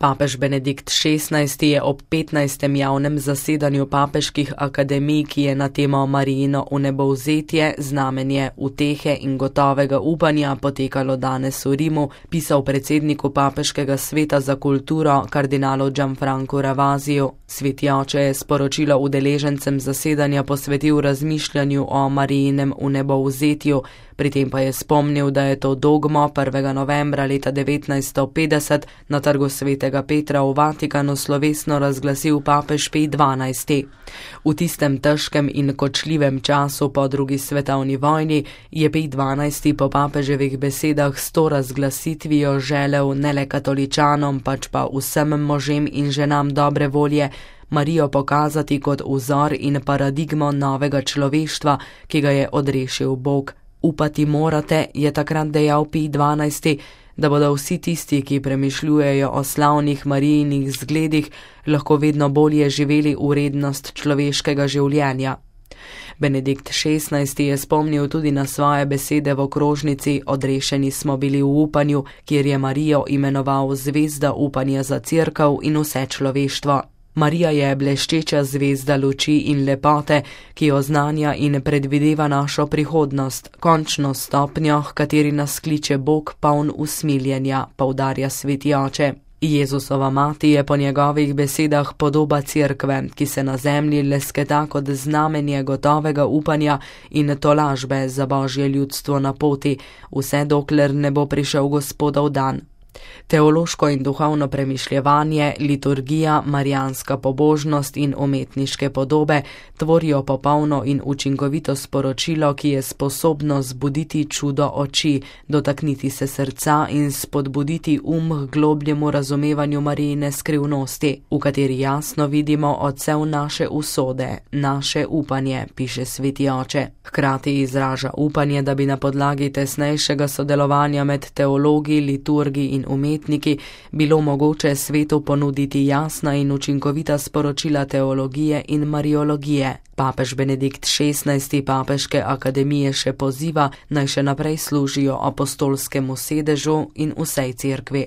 Papež Benedikt XVI. Je ob 15. javnem zasedanju papeških akademij, ki je na temo Marijino vnebovzetje, znamenje utehe in gotovega upanja, potekalo danes v Rimu, pisal predsedniku Papeškega sveta za kulturo kardinalu Gianfrancu Ravasiju. Sveti oče je sporočilo udeležencem zasedanja posvetil razmišljanju o Marijinem vnebovzetju, pri tem pa je spomnil, da je to dogmo 1. novembra leta 1950 na trgu Svetega Petra v Vatikanu slovesno razglasil papež Pij XII. V tistem težkem in kočljivem času po drugi svetovni vojni je Pij XII. Po papeževih besedah s to razglasitvijo želel ne le katoličanom, pač pa vsem možem in ženam dobre volje, Marijo pokazati kot vzor in paradigmo novega človeštva, ki ga je odrešil Bog. Upati morate, je takrat dejal Pij XII., da bodo vsi tisti, ki premišljujejo o slavnih Marijinih zgledih, lahko vedno bolje živeli vrednost človeškega življenja. Benedikt XVI. Je spomnil tudi na svoje besede v okrožnici Odrešeni smo bili v upanju, kjer je Marijo imenoval zvezda upanja za cerkev in vse človeštvo. Marija je bleščeča zvezda luči in lepote, ki oznanja in predvideva našo prihodnost, končno stopnjo, h kateri nas kliče Bog poln usmiljenja, poudarja sveti oče. Jezusova mati je po njegovih besedah podoba cerkve, ki se na zemlji lesketa kot znamenje gotovega upanja in tolažbe za Božje ljudstvo na poti, vse dokler ne bo prišel Gospodov dan. Teološko in duhovno premišljevanje, liturgija, marijanska pobožnost in umetniške podobe tvorijo popolno in učinkovito sporočilo, ki je sposobno zbuditi čudo oči, dotakniti se srca in spodbuditi k globljemu razumevanju Marijine skrivnosti, v kateri jasno vidimo odsev naše usode, naše upanje, piše sveti oče. Hkrati izraža upanje, da bi na podlagi tesnejšega sodelovanja med teologi, liturgi in umetniki bilo mogoče svetu ponuditi jasna in učinkovita sporočila teologije in mariologije. Papež Benedikt XVI. Papeške akademije še poziva, naj še naprej služijo apostolskemu sedežu in vsej cerkvi.